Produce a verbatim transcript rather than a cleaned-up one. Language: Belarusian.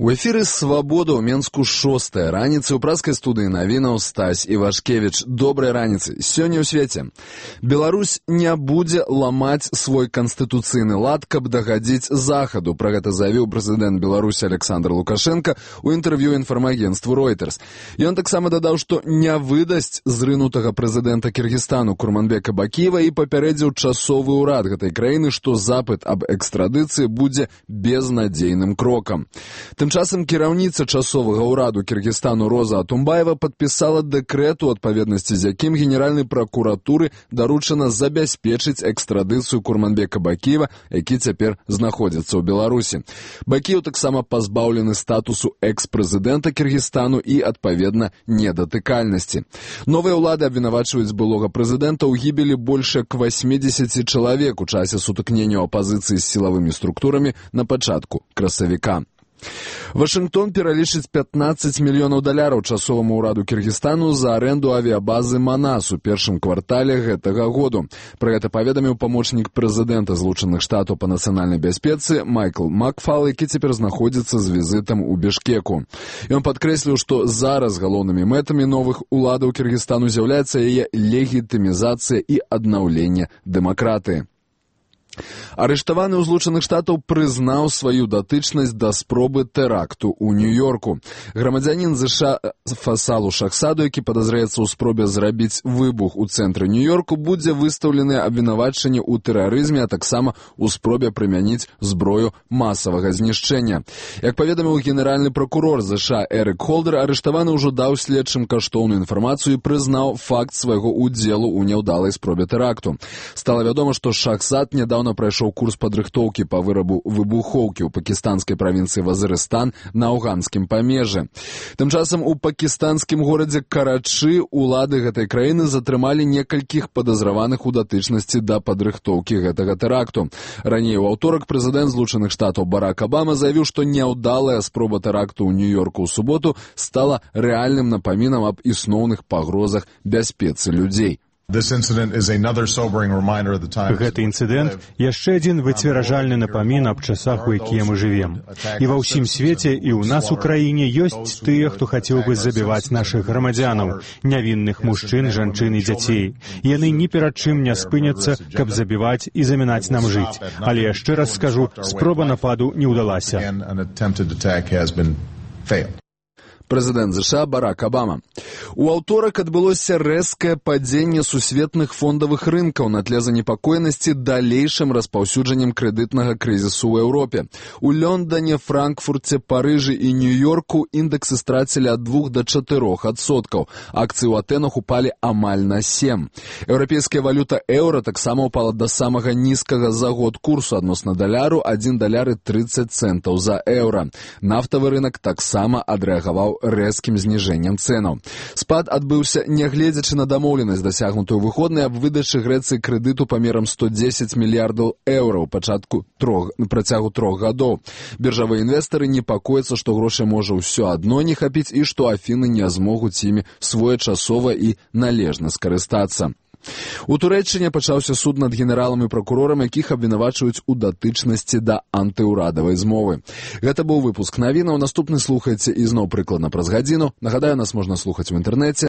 У эфіры «Свабода» ў Менску шостая раніцы. У праскай студыі навінаў Стась Івашкевіч. Добрай раніцы. Сёння ў свеце. Беларусь не будзе ламаць свой канстытуцыйны лад, каб дагадзіць захаду. Пра гэта заявіў прэзідэнт Беларусі Александр Лукашенко ў інтэрв'ю інфармагенцтву Reuters. Ён таксама дадаў, што не выдасць зрынутага прэзідэнта Кіргізстану Курманбека Бакиева і папярэдзіў часовы ўрад гэтай краіны, што запыт аб экстрадыцыі будзе безнадзейным крокам. Тым часам кіраўніца часовага ўраду Кіргізстану Роза Атумбаева падпісала дэкрэт, у адпаведнасці з якім Генеральнай пракуратуры даручана забяспечыць экстрадыцыю Курманбека Бакиева, які цяпер знаходзіцца ў Беларусі. Бакиев таксама пазбаўлены статусу экс-прэзідэнта Кіргізстану і, адпаведна, недатыкальнасці. Новыя ўлады абвінавачваюць былога прэзідэнта ў гібелі больш як васьмідзесяці чалавек у часе сутыкнення апазіцыі з сілавымі структурамі на пачатку красавіка. Вашынгтон пералічыць пятнаццаць мільёнаў даляраў часоваму ўраду Кіргізстану за арэнду авіябазы Манас у першым квартале гэтага году. Пра гэта паведаміў памочнік прэзідэнта Злучаных Штатаў па нацыянальнай бяспецы Майкл Макфал, які цяпер знаходзіцца з візітам у Бішкеку. Ён падкрэсліў, што зараз галоўнымі мэтамі новых уладаў Кіргізстану з'яўляецца яе легітымізацыя і аднаўленне дэмакратыі. Арыштаваны ў Злучаных Штатаў прызнаў сваю датычнасць да спробы тэракту ў Нью-Йорку. Грамадзянін ЗША Фасалу Шахсаду, які падазраецца ў спробе зрабіць выбух у цэнтры Нью-Йорку, будзе выстаўлены абвінавачанні ў тэрарызме, а таксама ў спробе прымяніць зброю масавага знішчэння. Як паведаміў генеральны пракурор ЗША Эрик Холдер, арыштаваны ўжо даў следчым каштоўную інфармацыю і прызнаў факт свайго ўдзелу ў няўдалай спробе тэракту. Стала вядома, што Шахсад нядаўна прайшоў курс падрыхтоўкі па вырабу выбухоўкі ў пакістанскай правінцыі Вазырыстан на афганскім памежжы. Тым часам у пакістанскім горадзе Карачы улады гэтай краіны затрымалі некалькіх падазраваных у датычнасці да падрыхтоўкі гэтага тэракту. Раней у аўторак прэзідэнт Злучаных Штатаў Барак Абама заявіў, што няўдалая спроба тэракту ў Нью-Йорку ў суботу стала рэальным напамінам аб існоўных пагрозах бяспецы людзей. Гэты інцыдэнт яшчэ адзін выцверажальны напамін аб часах, у якія мы жывем. І ва ўсім свеце, і ў нас у краіне ёсць тыя, хто хацеў бы забіваць нашых грамадзянаў, нявінных мужчын, жанчын і дзяцей. Яны ні перад чым не спыняцца, каб забіваць і замінаць нам жыць. Але яшчэ раз скажу, спроба нападу не ўдалася. Прэзідэнт ЗША Барак Абама. У аўторак адбылося рэзкае падзенне сусветных фондавых рынкаў на тле занепакоенасці далейшым распаўсюджаннем крэдытнага крызісу ў Еўропе. У Лондоне, Франкфурце, Парыжы і Нью-Йорку індэксы страцілі ад двух да чатырох адсоткаў. Акцыі ў Атэнах упалі амаль на сем. Еўрапейская валюта еўра таксама ўпала да самага нізкага за год курсу адносна даляру адзін даляр і трыццаць цэнтаў за еўра. Нафтавы рынак таксама адрэагаваў рэзкім зніжэннем цэнаў. Спад адбыўся нягледзячы на дамоўленасць, дасягнутую выходнай аб выдачы Грэцыі крэдыту памерам сто дзесяць мільярдаў еўра ў пачатку трох, працягу трох гадоў. Біржавыя інвестары непакояцца, што грошай можа ўсё адно не хапіць і што Афіны не змогуць імі своечасова і належна скарыстацца. У Турэччыне пачаўся суд над генералам і пракурорам, якіх абвінавачваюць у датычнасці да антыўрадавай змовы. Гэта быў выпуск навінаў. Наступны слухайце ізноў прыкладна праз гадзіну. Нагадаю, нас можна слухаць у інтэрнэце